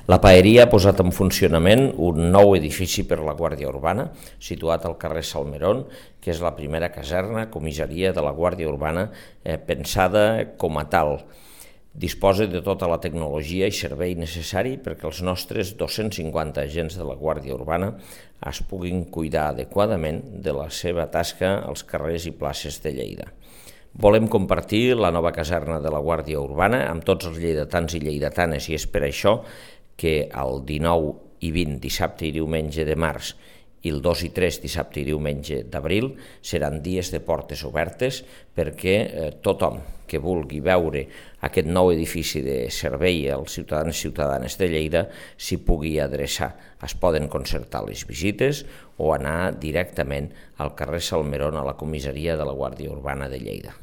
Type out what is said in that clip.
La Paeria ha posat en funcionament un nou edifici per la Guàrdia Urbana, situat al carrer Salmerón, que és la primera caserna, comissaria de la Guàrdia Urbana pensada com a tal. Disposa de tota la tecnologia i servei necessari perquè els nostres 250 agents de la Guàrdia Urbana es puguin cuidar adequadament de la seva tasca als carrers i places de Lleida. Volem compartir la nova caserna de la Guàrdia Urbana amb tots els lleidatans i lleidatanes i és per això que el 19 i 20 dissabte i diumenge de març i el 2 i 3 dissabte i diumenge d'abril seran dies de portes obertes perquè tothom que vulgui veure aquest nou edifici de servei als ciutadans i ciutadanes de Lleida s'hi pugui adreçar. Es poden concertar les visites o anar directament al carrer Salmerón a la comissaria de la Guàrdia Urbana de Lleida.